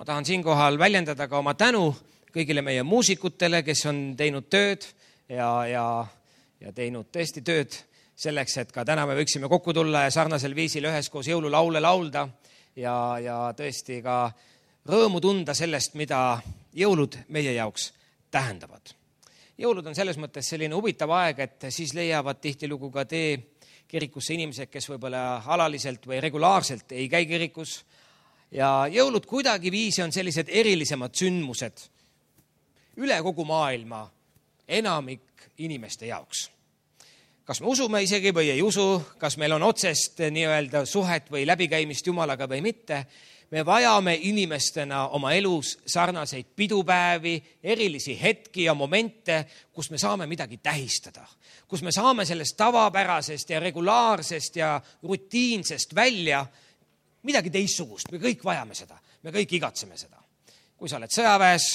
Ma tahan siinkohal väljendada ka oma tänu kõigile meie muusikutele, kes on teinud tööd ja teinud tõesti tööd selleks, et ka täna me võiksime kokku tulla ja sarnasel viisil üheskoos jõululaule laulda ja tõesti ka rõõmu tunda sellest, mida jõulud meie jaoks tähendavad. Jõulud on selles mõttes selline huvitav aeg, et siis leiavad tihtilugu ka tee kirikusse inimesed, kes võib-olla alaliselt või regulaarselt ei käi kirikus. Ja jõulud kuidagi viisi on sellised erilisemad sündmused üle kogu maailma enamik inimeste jaoks. Kas me usume isegi või ei usu, kas meil on otsest nii-öelda suhet või läbikäimist Jumalaga või mitte, me vajame inimestena oma elus sarnaseid pidupäevi, erilisi hetki ja momente, kus me saame midagi tähistada, kus me saame sellest tavapärasest ja regulaarsest ja rutiinsest välja midagi teistsugust. Me kõik vajame seda, me kõik igatseme seda. Kui sa oled sõjaväes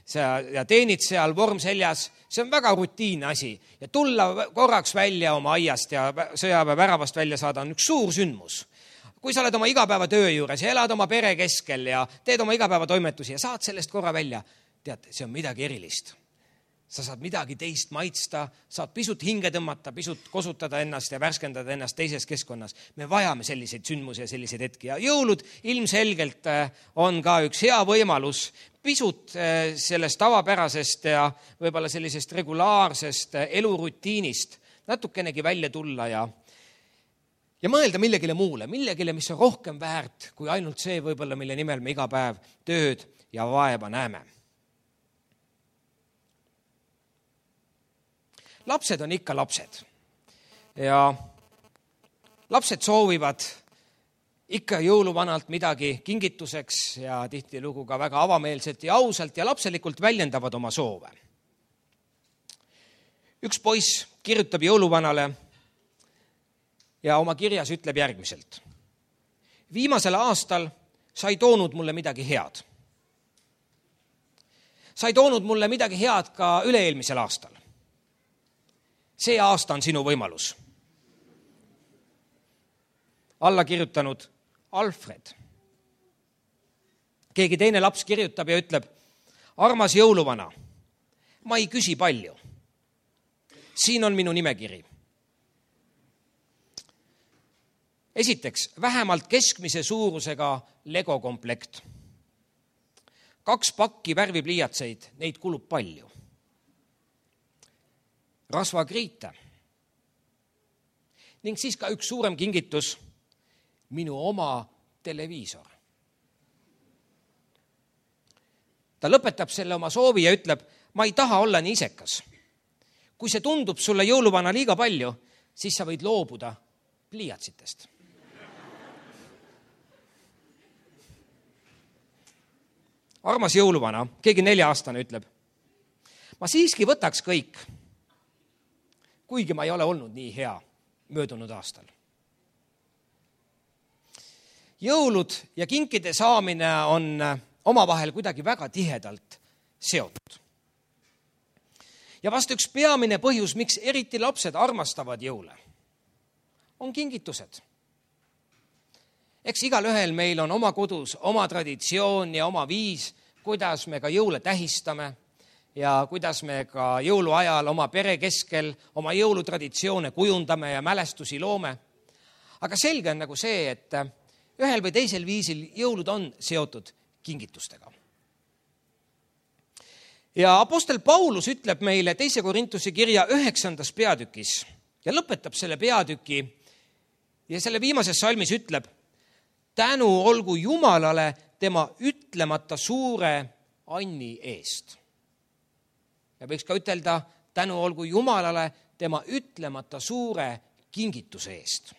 ja teenid seal vorm seljas, see on väga rutiinne asi ja tulla korraks välja oma aiast ja sõjaväe väravast välja saada on üks suur sündmus. Kui sa oled oma igapäevatöö juures ja elad oma pere keskel ja teed oma igapäevatoimetusi ja saad sellest korra välja, tead, see on midagi erilist. Sa saad midagi teist maitsta, saad pisut hinge tõmmata, pisut kosutada ennast ja värskendada ennast teises keskkonnas. Me vajame selliseid sündmusi ja selliseid hetki ja jõulud ilmselgelt on ka üks hea võimalus pisut sellest tavapärasest ja võib-olla sellisest regulaarsest elurutiinist natukenegi välja tulla ja mõelda millegile muule, millegile, mis on rohkem väärt kui ainult see võib-olla, mille nimel me iga päev tööd ja vaeva näeme. Lapsed on ikka lapsed ja lapsed soovivad ikka jõuluvanalt midagi kingituseks ja tihtilugu ka väga avameelselt ja ausalt ja lapselikult väljendavad oma soove. Üks poiss kirjutab jõuluvanale ja oma kirjas ütleb järgmiselt. Viimasel aastal sa ei toonud mulle midagi head. Sa ei toonud mulle midagi head ka üle-eelmisel aastal. See aasta on sinu võimalus. Alla kirjutanud Alfred. Keegi teine laps kirjutab ja ütleb, armas jõuluvana, ma ei küsi palju. Siin on minu nimekiri. Esiteks, vähemalt keskmise suurusega Lego komplekt. 2 pakki värvipliiatseid, neid kulub palju. Rasvakriite. Ning siis ka üks suurem kingitus, minu oma televiisor. Ta lõpetab selle oma soovi ja ütleb, ma ei taha olla nii isekas. Kui see tundub sulle jõuluvana liiga palju, siis sa võid loobuda pliiatsitest. Armas jõuluvana, keegi 4-aastane ütleb, ma siiski võtaks kõik, kuigi ma ei ole olnud nii hea möödunud aastal. Jõulud ja kinkide saamine on omavahel kuidagi väga tihedalt seotud. Ja vast üks peamine põhjus, miks eriti lapsed armastavad jõule, on kingitused. Eks igalühel meil on oma kodus oma traditsioon ja oma viis, kuidas me ka jõule tähistame ja kuidas me ka jõuluajal oma pere keskel oma jõulutraditsioone kujundame ja mälestusi loome. Aga selge on nagu see, et ühel või teisel viisil jõulud on seotud kingitustega. Ja apostel Paulus ütleb meile 2. Korintuse kirja 9. peatükis ja lõpetab selle peatüki ja selle viimases salmis ütleb, tänu olgu Jumalale tema ütlemata suure anni eest. Ja võiks ka ütelda, tänu olgu Jumalale tema ütlemata suure kingituse eest.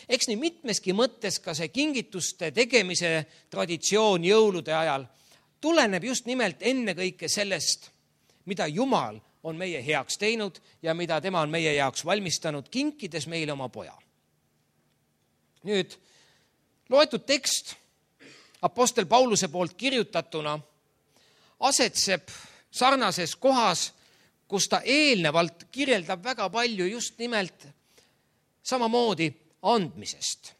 Eks nii mitmeski mõttes ka see kingituste tegemise traditsioon jõulude ajal tuleneb just nimelt ennekõike sellest, mida Jumal on meie heaks teinud ja mida tema on meie jaoks valmistanud, kinkides meile oma poja. Nüüd, loetud tekst apostel Pauluse poolt kirjutatuna asetseb sarnases kohas, kus ta eelnevalt kirjeldab väga palju just nimelt samamoodi andmisest.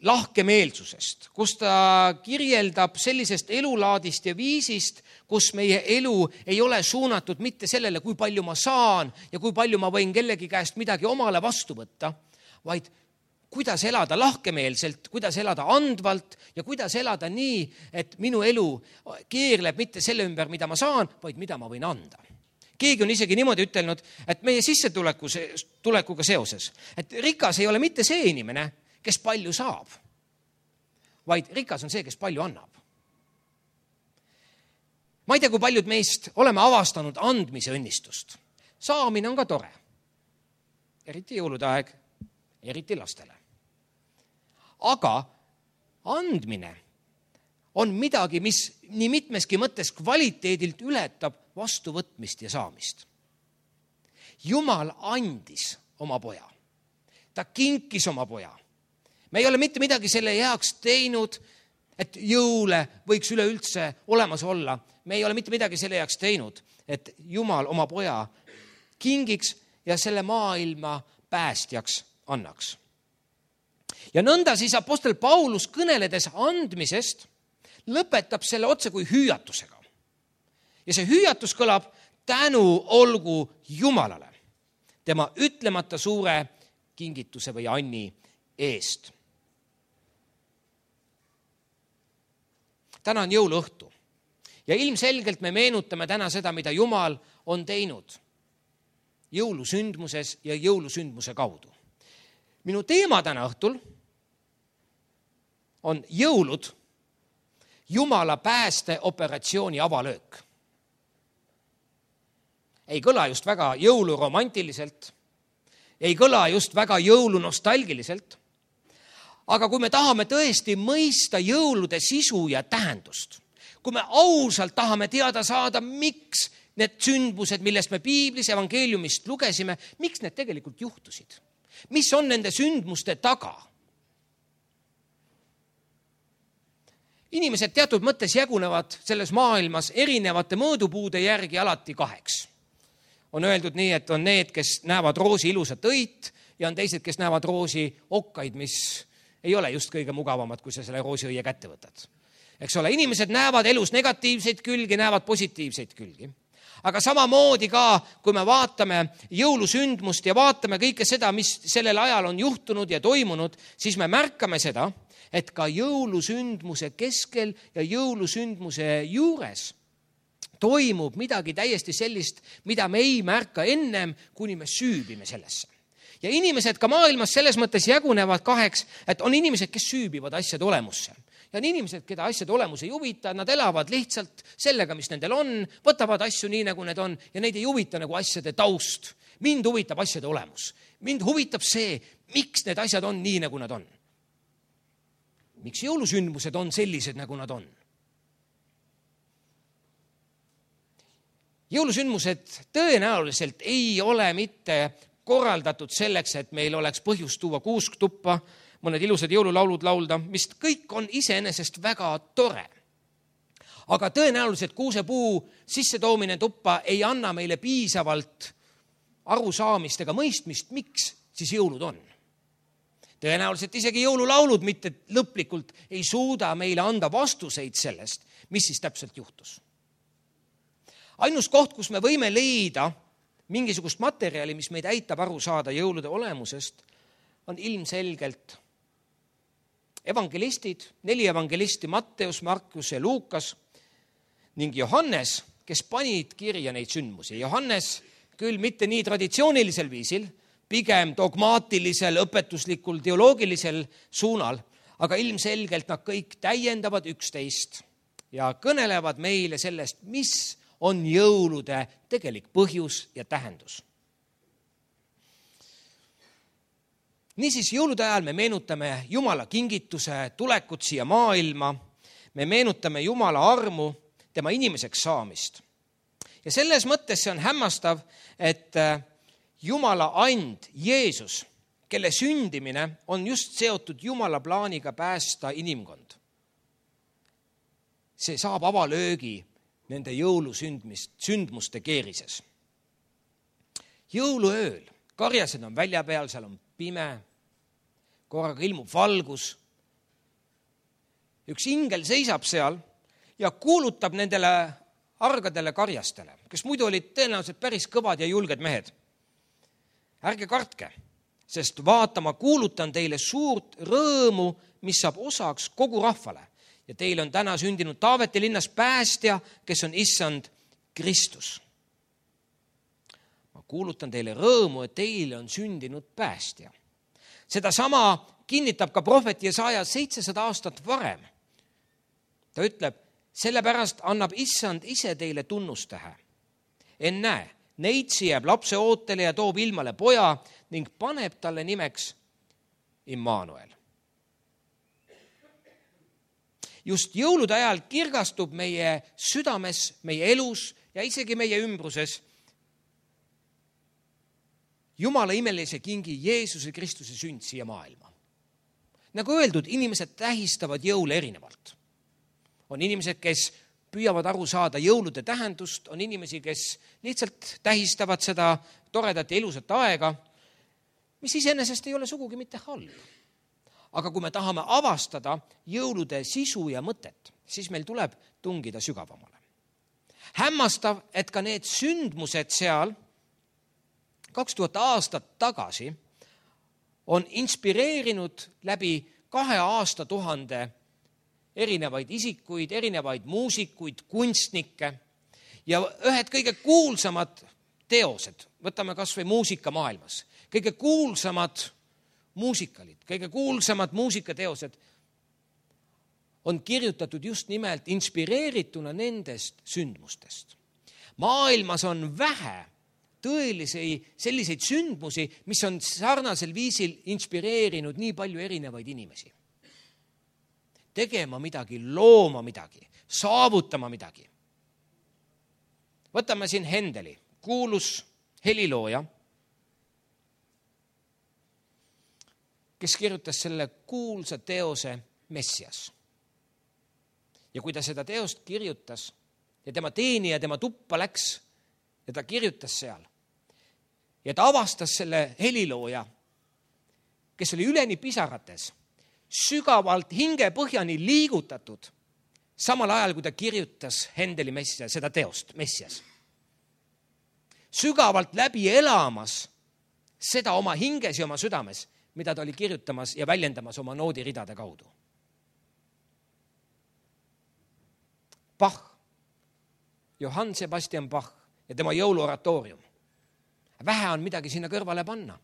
lahkemeelsusest, kus ta kirjeldab sellisest elulaadist ja viisist, kus meie elu ei ole suunatud mitte sellele, kui palju ma saan ja kui palju ma võin kellegi käest midagi omale vastu võtta, vaid kuidas elada lahkemeelselt, kuidas elada andvalt ja kuidas elada nii, et minu elu keerleb mitte selle ümber, mida ma saan, vaid mida ma võin anda. Keegi on isegi niimoodi ütelnud, et meie sissetulekuga seoses, et rikas ei ole mitte see inimene, kes palju saab, vaid rikas on see, kes palju annab. Ma ei tea, kui paljud meist oleme avastanud andmise õnnistust. Saamine on ka tore. Eriti jõulude aeg, eriti lastele. Aga andmine on midagi, mis nii mitmeski mõttes kvaliteedilt ületab vastuvõtmist ja saamist. Jumal andis oma poja. Ta kinkis oma poja. Me ei ole mitte midagi selle heaks teinud, et jõule võiks üleüldse olemas olla. Me ei ole mitte midagi selle heaks teinud, et Jumal oma poja kingiks ja selle maailma päästjaks annaks. Ja nõnda siis apostel Paulus kõneledes andmisest lõpetab selle otse kui hüüatusega. Ja see hüüatus kõlab: tänu olgu Jumalale tema ütlemata suure kingituse või anni eest. Täna on jõuluõhtu ja ilmselgelt me meenutame täna seda, mida Jumal on teinud jõulusündmuses ja jõulusündmuse kaudu. Minu teema täna õhtul on jõulud, Jumala päästeoperatsiooni avalöök. Ei kõla just väga jõuluromantiliselt, ei kõla just väga jõulunostalgiliselt, aga kui me tahame tõesti mõista jõulude sisu ja tähendust, kui me ausalt tahame teada saada, miks need sündmused, millest me piiblis evangeeliumist lugesime, miks need tegelikult juhtusid, mis on nende sündmuste taga. Inimesed teatud mõttes jagunevad selles maailmas erinevate mõõdupuude järgi alati kaheks. On öeldud nii, et on need, kes näevad roosi ilusat õit ja on teised, kes näevad roosi okkaid, mis ei ole just kõige mugavamad, kui sa selle roosiõie kätte võtad. Eks ole, inimesed näevad elus negatiivseid külgi, näevad positiivseid külgi. Aga samamoodi ka, kui me vaatame jõulusündmust ja vaatame kõike seda, mis sellel ajal on juhtunud ja toimunud, siis me märkame seda, et ka jõulusündmuse keskel ja jõulusündmuse juures toimub midagi täiesti sellist, mida me ei märka ennem, kuni me süübime sellesse. Ja inimesed ka maailmas selles mõttes jagunevad kaheks, et on inimesed, kes süübivad asjade olemusse. Ja on inimesed, keda asjade olemus ei huvita, nad elavad lihtsalt sellega, mis nendel on, võtavad asju nii, nagu need on ja neid ei huvita nagu asjade taust. Mind huvitab asjade olemus. Mind huvitab see, miks need asjad on nii, nagu nad on. Miks jõulusündmused on sellised, nagu nad on? Jõulusündmused tõenäoliselt ei ole mitte korraldatud selleks, et meil oleks põhjust tuua kuusktuppa, mõned ilusad jõululaulud laulda, mis kõik on iseenesest väga tore. Aga tõenäoliselt kuusepuu sissetoomine tuppa ei anna meile piisavalt arusaamist ega mõistmist, miks siis jõulud on. Tõenäoliselt isegi jõululaulud mitte lõplikult ei suuda meile anda vastuseid sellest, mis siis täpselt juhtus. Ainus koht, kus me võime leida mingisugust materjali, mis meid aitab aru saada jõulude olemusest, on ilmselgelt evangelistid, 4 evangelisti Matteus, Markus ja Luukas ning Johannes, kes panid kirja neid sündmusi. Johannes küll mitte nii traditsioonilisel viisil, pigem dogmaatilisel, õpetuslikul, teoloogilisel suunal, aga ilmselgelt nad kõik täiendavad üksteist ja kõnelevad meile sellest, mis on jõulude tegelik põhjus ja tähendus. Niisiis, jõulude ajal me meenutame Jumala kingituse tulekut siia maailma, me meenutame Jumala armu, tema inimeseks saamist. Ja selles mõttes see on hämmastav, et Jumala and, Jeesus, kelle sündimine on just seotud Jumala plaaniga päästa inimkond. See saab avalöögi nende jõulusündmuste keerises. Jõuluööl, karjased on välja peal, seal on pime, korraga ilmub valgus, üks ingel seisab seal ja kuulutab nendele argadele karjastele, kes muidu olid tõenäoliselt päris kõvad ja julged mehed. Ärge kartke, sest vaata, ma kuulutan teile suurt rõõmu, mis saab osaks kogu rahvale. Ja teile on täna sündinud Taaveti linnas päästja, kes on issand Kristus. Ma kuulutan teile rõõmu, et teile on sündinud päästja. Seda sama kinnitab ka prohvet Jesaja 700 aastat varem. Ta ütleb, sellepärast annab issand ise teile tunnustähe. Ennäe, neitsi jääb lapse ootele ja toob ilmale poja ning paneb talle nimeks Immanuel. Just jõulude ajal kirgastub meie südames, meie elus ja isegi meie ümbruses Jumala imelise kingi Jeesuse Kristuse sünd siia maailma. Nagu öeldud, inimesed tähistavad jõule erinevalt. On inimesed, kes püüavad aru saada jõulude tähendust, on inimesi, kes lihtsalt tähistavad seda toredat ja ilusat aega, mis iseenesest ei ole sugugi mitte halb. Aga kui me tahame avastada jõulude sisu ja mõtet, siis meil tuleb tungida sügavamale. Hämmastav, et ka need sündmused seal 2000 aastat tagasi on inspireerinud läbi 2 aastatuhande erinevaid isikuid, erinevaid muusikuid, kunstnikke ja ühed kõige kuulsamad teosed, võtame kas või muusikamaailmas, kõige kuulsamad muusikalid, kõige kuulsamad muusikateosed on kirjutatud just nimelt inspireerituna nendest sündmustest. Maailmas on vähe tõelisi selliseid sündmusi, mis on sarnasel viisil inspireerinud nii palju erinevaid inimesi. Tegema midagi, looma midagi, saavutama midagi. Võtame siin Händeli, kuulus helilooja, kes kirjutas selle kuulsa teose Messias. Ja kui ta seda teost kirjutas ja tema teenija tema tuppa läks ja ta kirjutas seal ja ta avastas selle helilooja, kes oli üleni pisarates, sügavalt hingepõhjani liigutatud, samal ajal kui ta kirjutas Händeli Messias, seda teost Messias. Sügavalt läbi elamas seda oma hinges ja oma südames, mida ta oli kirjutamas ja väljendamas oma noodiridade kaudu. Bach, Johann Sebastian Bach ja tema jõuluoratoorium. Vähe on midagi sinna kõrvale panna.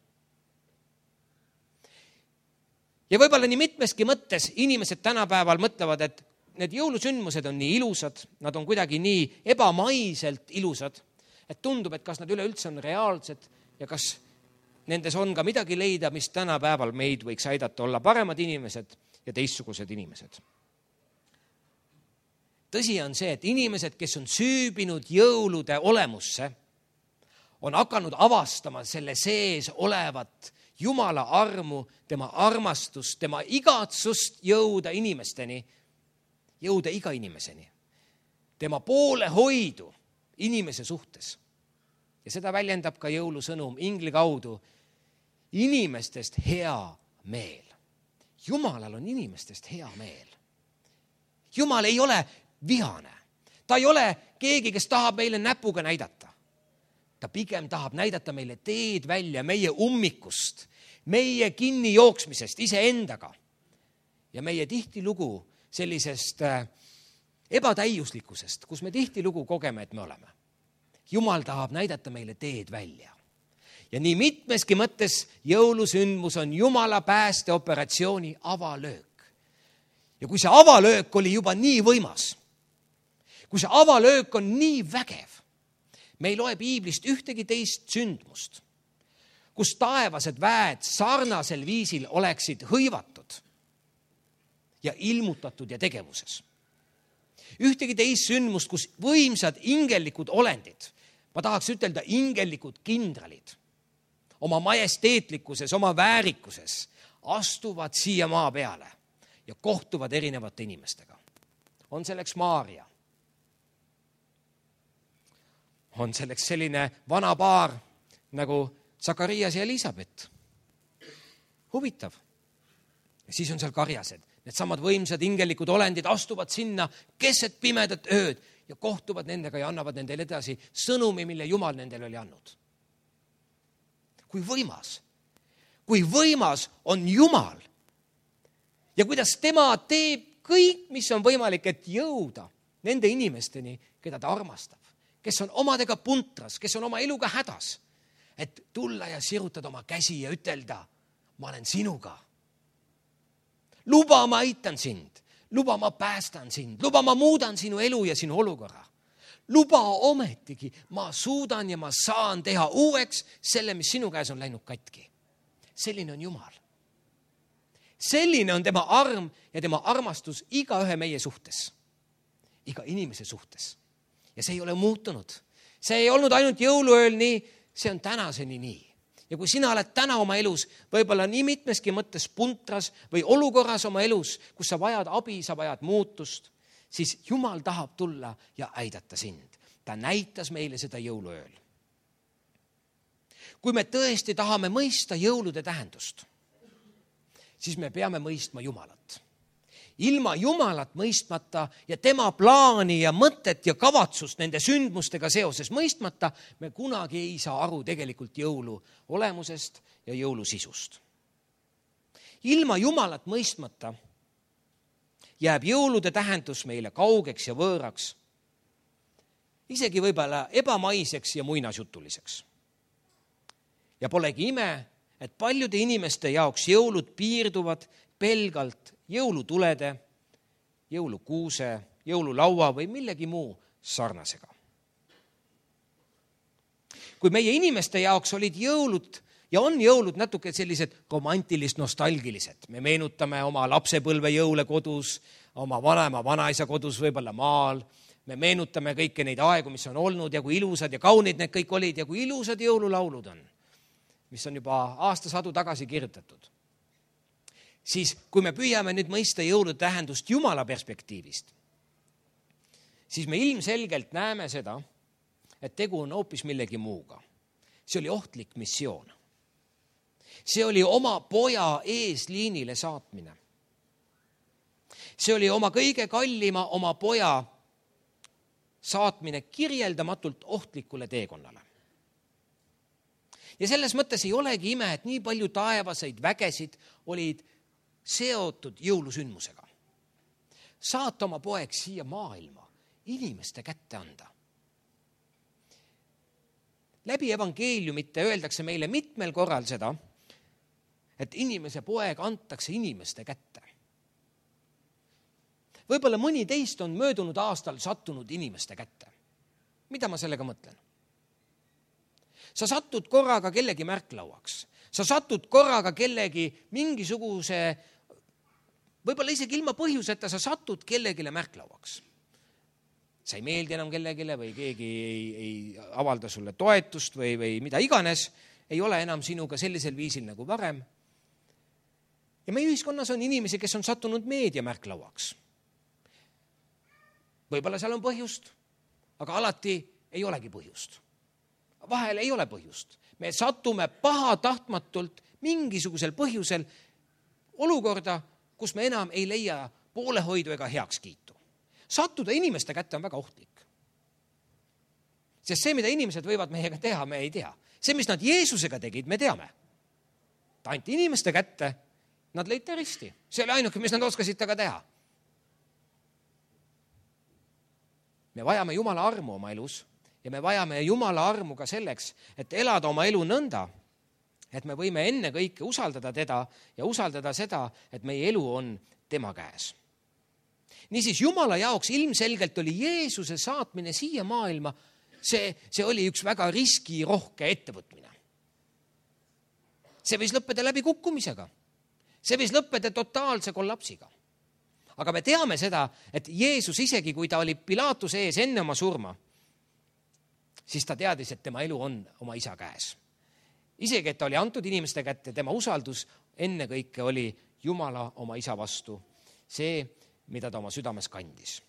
Ja võib-olla nii mitmeski mõttes inimesed tänapäeval mõtlevad, et need jõulusündmused on nii ilusad, nad on kuidagi nii ebamaiselt ilusad, et tundub, et kas nad üleüldse on reaalsed ja kas nendes on ka midagi leida, mis tänapäeval meid võiks aidata olla paremad inimesed ja teistsugused inimesed. Tõsi on see, et inimesed, kes on süübinud jõulude olemusse, on hakanud avastama selle sees olevat Jumala armu, tema armastust, tema igatsust jõuda inimesteni, jõuda iga inimeseni. Tema poolehoidu inimese suhtes. Ja seda väljendab ka jõulusõnum ingli kaudu. Inimestest hea meel. Jumalal on inimestest hea meel. Jumal ei ole vihane. Ta ei ole keegi, kes tahab meile näpuga näidata. Ta pigem tahab näidata meile teed välja meie ummikust, meie kinni jooksmisest iseendaga ja meie tihtilugu sellisest ebatäiuslikkusest, kus me tihtilugu kogeme, et me oleme. Jumal tahab näidata meile teed välja. Ja nii mitmeski mõttes jõulusündmus on Jumala päästeoperatsiooni avalöök. Ja kui see avalöök oli juba nii võimas, kui see avalöök on nii vägev, me ei loe piiblist ühtegi teist sündmust, kus taevased väed sarnasel viisil oleksid hõivatud ja ilmutatud ja tegevuses. Ühtegi teist sündmust, kus võimsad ingelikud olendid, ma tahaks ütelda ingelikud kindralid, oma majesteetlikkuses, oma väärikuses astuvad siia maa peale ja kohtuvad erinevate inimestega. On selleks Maaria. On selleks selline vana paar nagu Sakarias ja Elisabet. Huvitav. Ja siis on seal karjased. Needsamad võimsad ingelikud olendid astuvad sinna keset pimedat ööd ja kohtuvad nendega ja annavad nendele edasi sõnumi, mille Jumal nendele oli andnud. Kui võimas on Jumal ja kuidas tema teeb kõik, mis on võimalik, et jõuda nende inimesteni, keda ta armastab, kes on omadega puntras, kes on oma eluga hädas, et tulla ja sirutada oma käsi ja ütelda, ma olen sinuga. Luba, ma aitan sind. Luba, ma päästan sind. Luba, ma muudan sinu elu ja sinu olukorra. Luba ometigi, ma suudan ja ma saan teha uueks selle, mis sinu käes on läinud katki. Selline on Jumal. Selline on tema arm ja tema armastus igaühe meie suhtes. Iga inimese suhtes. Ja see ei ole muutunud. See ei olnud ainult jõuluööl nii, see on tänaseni nii. Ja kui sina oled täna oma elus võib-olla nii mitmeski mõttes puntras või olukorras oma elus, kus sa vajad abi, sa vajad muutust, siis Jumal tahab tulla ja aidata sind. Ta näitas meile seda jõuluööl. Kui me tõesti tahame mõista jõulude tähendust, siis me peame mõistma Jumalat. Ilma Jumalat mõistmata ja tema plaani ja mõtet ja kavatsust nende sündmustega seoses mõistmata, me kunagi ei saa aru tegelikult jõulu olemusest ja jõulu sisust. Ilma Jumalat mõistmata jääb jõulude tähendus meile kaugeks ja võõraks, isegi võib-olla ebamaiseks ja muinasjutuliseks. Ja polegi ime, et paljude inimeste jaoks jõulud piirduvad pelgalt jõulutulede, jõulukuuse, jõululaua või millegi muu sarnasega. Kui meie inimeste jaoks olid jõulud ja on jõulud natuke sellised romantilist, nostalgilised. Me meenutame oma lapsepõlve jõule kodus, oma vanema, vanaisa kodus, võib-olla maal. Me meenutame kõiki neid aegu, mis on olnud ja kui ilusad ja kaunid need kõik olid ja kui ilusad jõululaulud on, mis on juba aastasadu tagasi kirjutatud. Siis kui me püüame nüüd mõista jõulude tähendust Jumala perspektiivist, siis me ilmselgelt näeme seda, et tegu on hoopis millegi muuga. See oli ohtlik missioon. See oli oma poja eesliinile saatmine. See oli oma kõige kallima oma poja saatmine kirjeldamatult ohtlikule teekonnale. Ja selles mõttes ei olegi ime, et nii palju taevaseid vägesid olid seotud jõulusündmusega. Saata oma poeg siia maailma, inimeste kätte anda. Läbi evangeeliumite öeldakse meile mitmel korral seda, et inimese poeg antakse inimeste kätte. Võib-olla mõni teist on möödunud aastal sattunud inimeste kätte. Mida ma sellega mõtlen? Sa satud korraga kellegi märklauaks. Sa satud korraga kellegi mingisuguse, võib-olla isegi ilma põhjuseta, sa satud kellegile märklauaks. Sa ei meeldi enam kellegile või keegi ei avalda sulle toetust või mida iganes, ei ole enam sinuga sellisel viisil nagu varem. Ja meie ühiskonnas on inimesi, kes on sattunud meedia märklauaks. Võib-olla seal on põhjust, aga alati ei olegi põhjust. Vahel ei ole põhjust. Me satume pahatahtmatult mingisugusel põhjusel olukorda, kus me enam ei leia poolehoidu ega heakskiitu. Sattuda inimeste kätte on väga ohtlik. Sest see, mida inimesed võivad meiega teha, me ei tea. See, mis nad Jeesusega tegid, me teame. Ta anti inimeste kätte, nad lõid risti. See oli ainuke, mis nad oskasid taga teha. Me vajame Jumala armu oma elus ja me vajame Jumala armu ka selleks, et elada oma elu nõnda, et me võime enne kõike usaldada teda ja usaldada seda, et meie elu on tema käes. Niisiis, Jumala jaoks ilmselgelt oli Jeesuse saatmine siia maailma, see oli üks väga riskirohke ettevõtmine. See võis lõppeda läbi kukkumisega. See võis lõppeda totaalse kollapsiga. Aga me teame seda, et Jeesus isegi, kui ta oli Pilaatuse ees enne oma surma, siis ta teadis, et tema elu on oma isa käes. Isegi, et ta oli antud inimeste kätte, tema usaldus enne kõike oli Jumala oma isa vastu. See, mida ta oma südames kandis.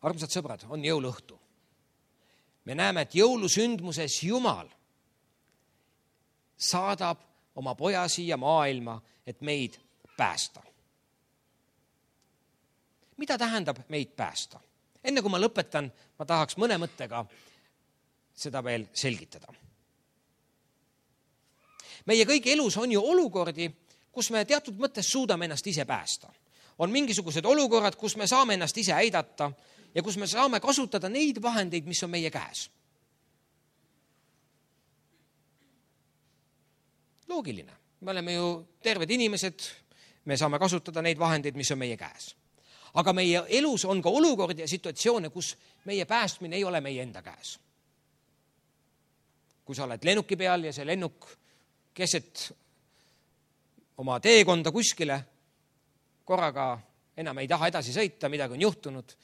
Armsad sõbrad, on jõuluõhtu. Me näeme, et jõulusündmuses Jumal saadab oma poja siia maailma, et meid päästa. mida tähendab meid päästa? Enne kui ma lõpetan, ma tahaks mõne mõttega seda veel selgitada. Meie kõigi elus on ju olukordi, kus me teatud mõttes suudame ennast ise päästa. On mingisugused olukorrad, kus me saame ennast ise aidata ja kus me saame kasutada neid vahendeid, mis on meie käes. Loogiline. Me oleme ju terved inimesed, me saame kasutada neid vahendeid, mis on meie käes. Aga meie elus on ka olukordi ja situatsioone, kus meie päästmine ei ole meie enda käes. Kui sa oled lennuki peal ja see lennuk keset oma teekonda kuskile, korraga enam ei taha edasi sõita, midagi on juhtunud,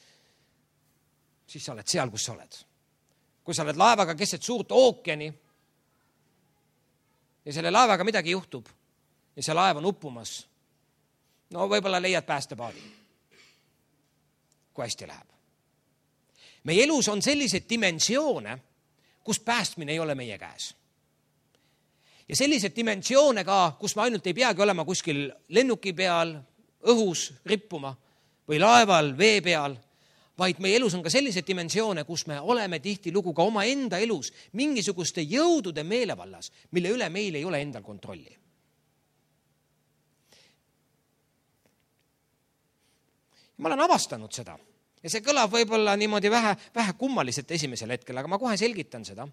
siis sa oled seal, kus sa oled. Kui sa oled laevaga keset suurt ookeani ja selle laevaga midagi juhtub ja see laev on uppumas, no võib-olla leiad päästepaadi, kui hästi läheb. Meie elus on selliseid dimensioone, kus päästmine ei ole meie käes. Ja sellised dimensioone ka, kus me ainult ei peagi olema kuskil lennuki peal, õhus rippuma või laeval, vee peal, vaid meie elus on ka sellised dimensioone, kus me oleme tihtilugu ka oma enda elus mingisuguste jõudude meelevallas, mille üle meil ei ole endal kontrolli. Ma olen avastanud seda ja see kõlab võib-olla niimoodi vähe kummaliselt esimesel hetkel, aga ma kohe selgitan seda.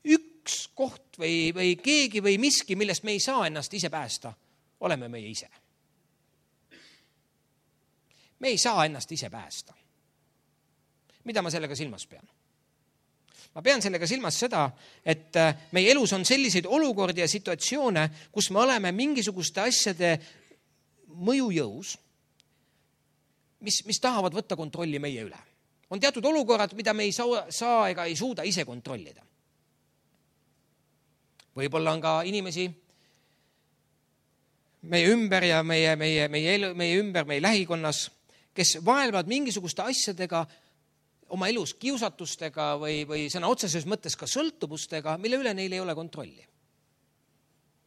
Üks koht või keegi või miski, millest me ei saa ennast ise päästa, oleme meie ise. Me ei saa ennast ise päästa. Mida ma sellega silmas pean? Ma pean sellega silmas seda, et meie elus on selliseid olukordi ja situatsioone, kus me oleme mingisuguste asjade mõjujõus, mis tahavad võtta kontrolli meie üle. On teatud olukorrad, mida me ei saa ega ei suuda ise kontrollida. Võib-olla on ka inimesi meie ümber ja meie ümber, meie lähikonnas, kes vaelvad mingisuguste asjadega oma elus kiusatustega või sõna otseses mõttes ka sõltuvustega, mille üle neil ei ole kontrolli.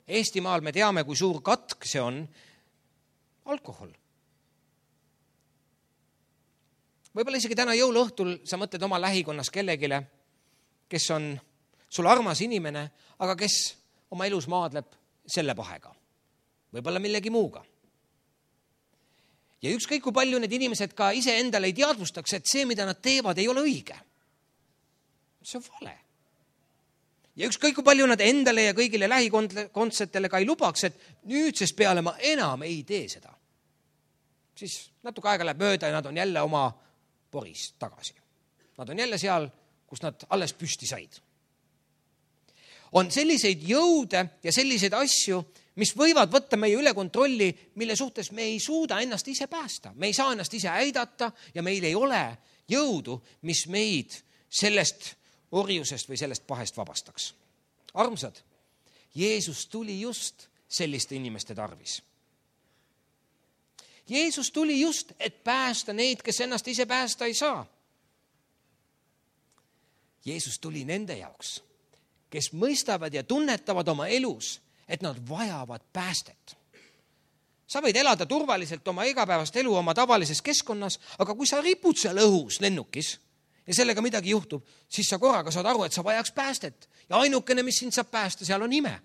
Eestimaal me teame, kui suur katk see on alkohol. Võib-olla isegi täna jõuluõhtul sa mõtled oma lähikonnas kellegile, kes on sul armas inimene, aga kes oma elus maadleb selle pahega. Võib-olla millegi muuga. Ja ükskõik kui palju need inimesed ka ise endale ei teadvustaks, et see, mida nad teevad, ei ole õige. See on vale. Ja ükskõik kui palju nad endale ja kõigile lähikondsetele ka ei lubaks, et nüüdsest peale ma enam ei tee seda. Siis natuke aega läheb mööda ja nad on jälle oma poris tagasi. Nad on jälle seal, kus nad alles püsti said. On selliseid jõude ja selliseid asju, mis võivad võtta meie üle kontrolli, mille suhtes me ei suuda ennast ise päästa. Me ei saa ennast ise aidata ja meil ei ole jõudu, mis meid sellest orjusest või sellest pahest vabastaks. Armsad, Jeesus tuli just selliste inimeste tarvis. Jeesus tuli just, et päästa neid, kes ennast ise päästa ei saa. Jeesus tuli nende jaoks, kes mõistavad ja tunnetavad oma elus, et nad vajavad päästet. Sa võid elada turvaliselt oma igapäevast elu oma tavalises keskkonnas, aga kui sa ripud seal õhus lennukis ja sellega midagi juhtub, siis sa korraga saad aru, et sa vajaks päästet. Ja ainukene, mis sind saab päästa, seal on ime.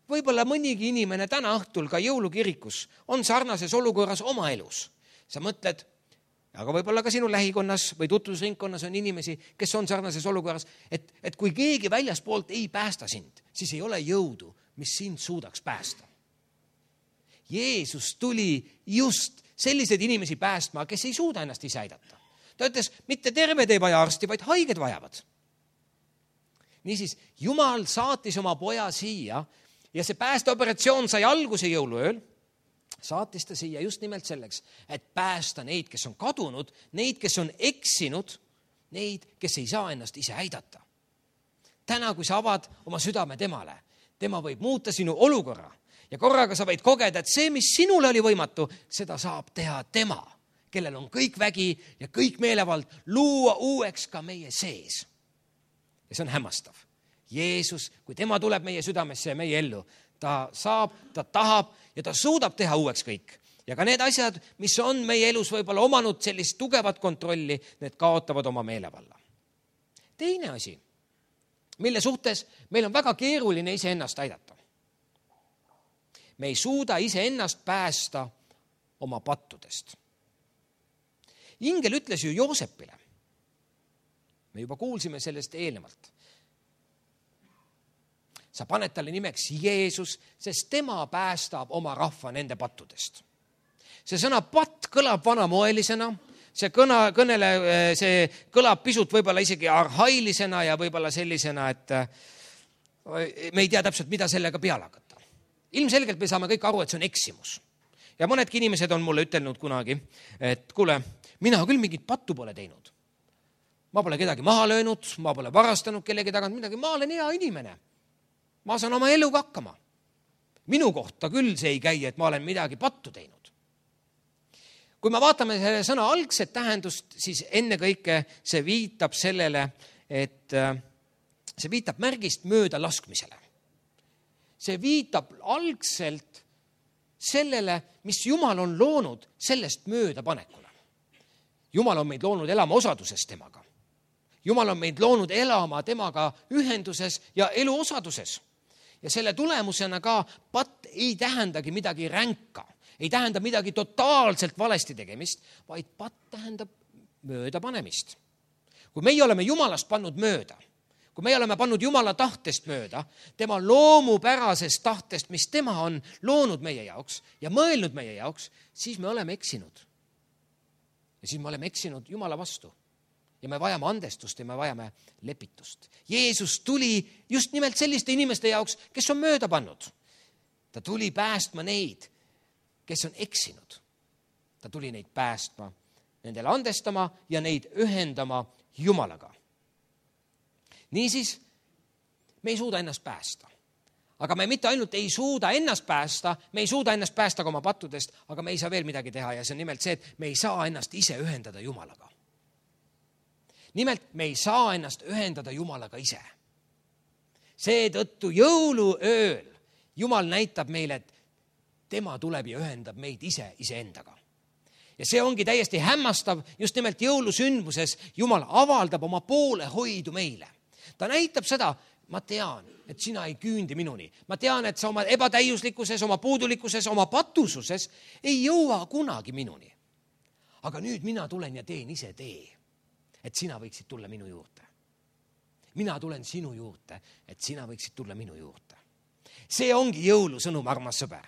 Võib-olla mõnigi inimene täna õhtul ka jõulukirikus on sarnases olukorras oma elus. Sa mõtled, aga võib-olla ka sinu lähikonnas või tutvusringkonnas on inimesi, kes on sarnases olukorras, et kui keegi väljaspoolt ei päästa sind, siis ei ole jõudu, mis sind suudaks päästa. Jeesus tuli just selliseid inimesi päästma, kes ei suuda ennast ise aidata. Ta ütles, mitte terved ei vaja arsti, vaid haiged vajavad. Niisiis, Jumal saatis oma poja siia ja see päästeoperatsioon sai alguse jõuluööl. Saatis ta siia just nimelt selleks, et päästa neid, kes on kadunud, neid, kes on eksinud, neid, kes ei saa ennast ise aidata. Täna, kui sa avad oma südame temale, tema võib muuta sinu olukorra ja korraga sa võid kogeda, et see, mis sinule oli võimatu, seda saab teha tema, kellel on kõik vägi ja kõik meelevald, luua uueks ka meie sees. Ja see on hämmastav. Jeesus, kui tema tuleb meie südamesse ja meie ellu, ta saab, ta tahab ja ta suudab teha uueks kõik. Ja ka need asjad, mis on meie elus võib-olla omanud sellist tugevat kontrolli, need kaotavad oma meelevalla. Teine asi, mille suhtes meil on väga keeruline iseennast aidata. Me ei suuda iseennast päästa oma pattudest. Ingel ütles ju Joosepile. Me juba kuulsime sellest eelnevalt. Sa paned talle nimeks Jeesus, sest tema päästab oma rahva nende pattudest. See sõna patt kõlab vanamoelisena, see kõlab pisut võib-olla isegi arhailisena ja võib-olla sellisena, et me ei tea täpselt, mida sellega peale hakata. Ilmselgelt me saame kõik aru, et see on eksimus. Ja mõnedki inimesed on mulle ütelnud kunagi, et kuule, mina küll mingit pattu pole teinud. Ma pole kedagi maha löönud, ma pole varastanud kellegi tagant midagi, ma olen hea inimene. Ma saan oma eluga hakkama. Minu kohta küll see ei käi, et ma olen midagi pattu teinud. Kui me vaatame selle sõna algset tähendust, siis enne kõike see viitab sellele, et see viitab märgist mööda laskmisele. See viitab algselt sellele, mis Jumal on loonud sellest möödapanekule. Jumal on meid loonud elama osaduses temaga. Jumal on meid loonud elama temaga ühenduses ja elu osaduses. Ja selle tulemusena ka patt ei tähendagi midagi ränka, ei tähenda midagi totaalselt valesti tegemist, vaid patt tähendab möödapanemist. Kui meie oleme Jumalast pannud mööda, kui meie oleme pannud Jumala tahtest mööda, tema loomupärasest tahtest, mis tema on loonud meie jaoks ja mõelnud meie jaoks, siis me oleme eksinud. Ja siis me oleme eksinud Jumala vastu. Ja me vajame andestust ja me vajame lepitust. Jeesus tuli just nimelt selliste inimeste jaoks, kes on mööda pannud. Ta tuli päästma neid, kes on eksinud. Ta tuli neid päästma, nendele andestama ja neid ühendama Jumalaga. Niisiis, me ei suuda ennast päästa. Aga me mitte ainult ei suuda ennast päästa, me ei suuda ennast päästa ka oma pattudest, aga me ei saa veel midagi teha ja see on nimelt see, et me ei saa ennast ise ühendada Jumalaga. Nimelt, me ei saa ennast ühendada Jumalaga ise. Seetõttu jõuluööl Jumal näitab meile, et tema tuleb ja ühendab meid iseendaga. Ja see ongi täiesti hämmastav, just nimelt jõulusündmuses Jumal avaldab oma poolehoidu meile. Ta näitab seda, ma tean, et sina ei küündi minuni. Ma tean, et sa oma ebatäiuslikkuses, oma puudulikkuses, oma patususes ei jõua kunagi minuni. Aga nüüd mina tulen ja teen ise tee, et sina võiksid tulla minu juurde. Mina tulen sinu juurde, et sina võiksid tulla minu juurde. See ongi jõulusõnum, armas sõber.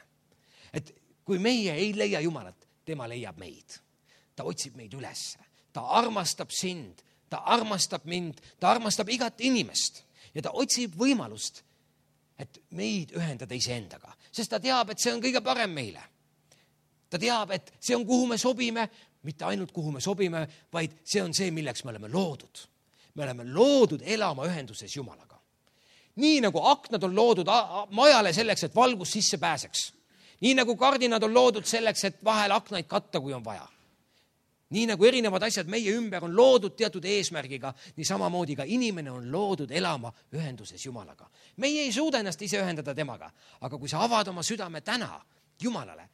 Et kui meie ei leia Jumalat, tema leiab meid. Ta otsib meid üles. Ta armastab sind, ta armastab mind, ta armastab igat inimest. Ja ta otsib võimalust, et meid ühendada iseendaga. Sest ta teab, et see on kõige parem meile. Ta teab, et see on, kuhu me sobime, mitte ainult kuhu me sobime, vaid see on see, milleks me oleme loodud. Me oleme loodud elama ühenduses Jumalaga. Nii nagu aknad on loodud majale selleks, et valgus sisse pääseks. Nii nagu kardinad on loodud selleks, et vahel aknaid katta, kui on vaja. Nii nagu erinevad asjad meie ümber on loodud teatud eesmärgiga, nii samamoodi ka inimene on loodud elama ühenduses Jumalaga. Meie ei suuda ennast ise ühendada temaga, aga kui sa avad oma südame täna Jumalale,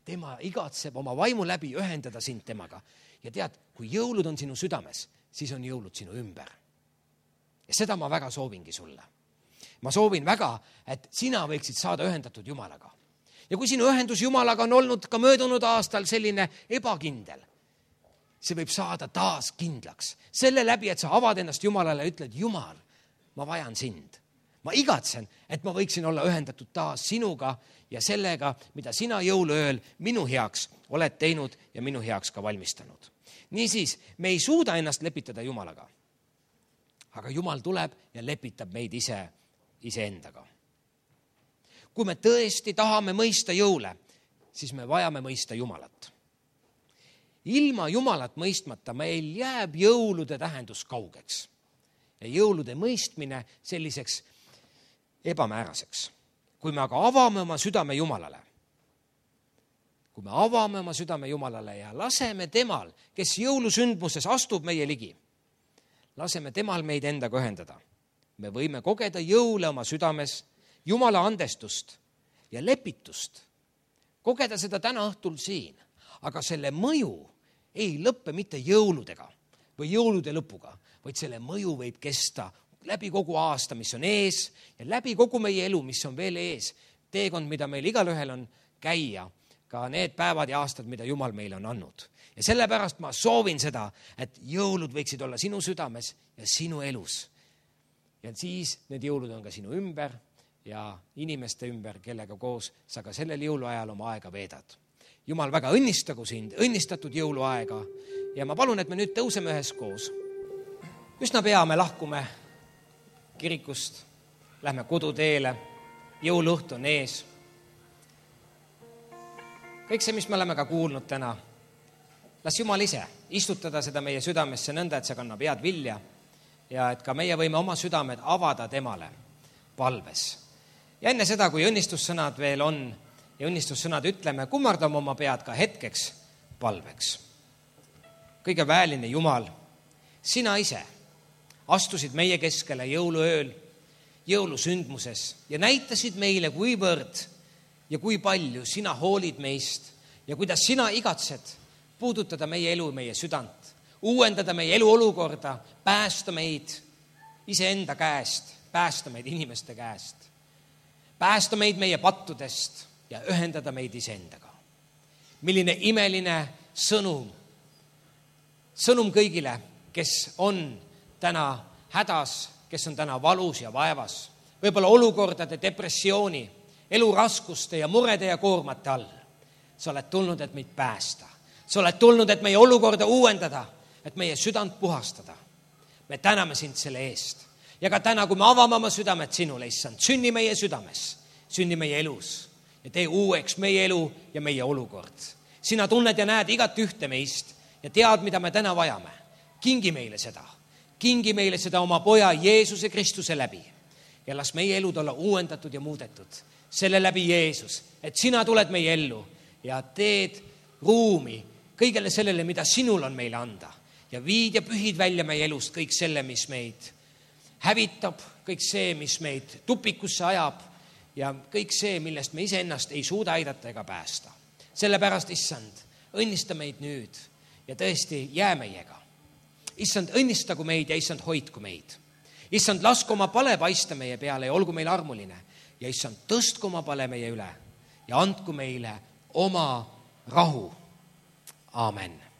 tema igatseb oma vaimu läbi ühendada sind temaga. Ja tead, kui jõulud on sinu südames, siis on jõulud sinu ümber. Ja seda ma väga soovingi sulle. Ma soovin väga, et sina võiksid saada ühendatud Jumalaga. Ja kui sinu ühendus Jumalaga on olnud ka möödunud aastal selline ebakindel, see võib saada taas kindlaks. Selle läbi, et sa avad ennast Jumalale ja ütled, Jumal, ma vajan sind. Ma igatsen, et ma võiksin olla ühendatud taas sinuga ja sellega, mida sina jõuluööl minu heaks oled teinud ja minu heaks ka valmistanud. Niisiis, me ei suuda ennast lepitada Jumalaga. Aga Jumal tuleb ja lepitab meid iseendaga. Kui me tõesti tahame mõista jõule, siis me vajame mõista Jumalat. Ilma Jumalat mõistmata meil jääb jõulude tähendus kaugeks. Ja jõulude mõistmine selliseks ebamääraseks. Kui me aga avame oma südame Jumalale, ja laseme temal, kes jõulusündmuses astub meie ligi, laseme temal meid endaga ühendada. Me võime kogeda jõule oma südames, Jumala andestust ja lepitust kogeda seda täna õhtul siin, aga selle mõju ei lõppe mitte jõuludega või jõulude lõpuga, vaid selle mõju võib kesta läbi kogu aasta, mis on ees ja läbi kogu meie elu, mis on veel ees. Teekond, mida meil igalühel on käia, ka need päevad ja aastad, mida Jumal meile on andnud. Ja sellepärast ma soovin seda, et jõulud võiksid olla sinu südames ja sinu elus. Ja siis need jõulud on ka sinu ümber ja inimeste ümber, kellega koos sa ka sellel jõuluajal oma aega veedad. Jumal väga õnnistagu sind, õnnistatud jõuluaega ja ma palun, et me nüüd tõuseme üheskoos. Üsna pea me lahkume kirikust, lähme koduteele, jõuluõhtu on ees. Kõik see, mis me oleme ka kuulnud täna, las Jumal ise istutada seda meie südamesse nõnda, et see kannab head vilja ja et ka meie võime oma südamed avada temale palves. Ja enne seda, kui õnnistussõnad veel on ja õnnistussõnad ütleme, kummardame oma pead ka hetkeks palveks. Kõige väeline Jumal, sina ise astusid meie keskele jõuluööl, jõulusündmuses ja näitasid meile, kuivõrd ja kui palju sina hoolid meist ja kuidas sina igatsed puudutada meie elu, meie südant, uuendada meie eluolukorda, päästa meid iseenda käest, päästa meid inimeste käest, päästa meid meie pattudest ja ühendada meid iseendaga. Milline imeline sõnum kõigile, kes on täna hädas, kes on täna valus ja vaevas, võib-olla olukordade, depressiooni, eluraskuste ja murede ja koormate all. Sa oled tulnud, et meid päästa. Sa oled tulnud, et meie olukorda uuendada, et meie südant puhastada. Me täname sind selle eest. Ja ka täna, kui me avame oma südamed sinule, issand, sünni meie südames, sünni meie elus ja tee uueks meie elu ja meie olukord. Sina tunned ja näed igat ühte meist ja tead, mida me täna vajame. Kingi meile seda. Kingi meile seda oma poja Jeesuse Kristuse läbi ja las meie elud olla uuendatud ja muudetud selle läbi Jeesus, et sina tuled meie ellu ja teed ruumi kõigele sellele, mida sinul on meile anda ja viid ja pühid välja meie elust kõik selle, mis meid hävitab, kõik see, mis meid tupikusse ajab ja kõik see, millest me iseennast ei suuda aidata ega päästa. Sellepärast, issand, õnnista meid nüüd ja tõesti jää meiega. Issand, õnnistagu meid ja issand, hoidku meid. Issand, lasku oma pale paista meie peale ja olgu meil armuline. Ja issand, tõstku oma pale meie üle ja andku meile oma rahu. Aamen.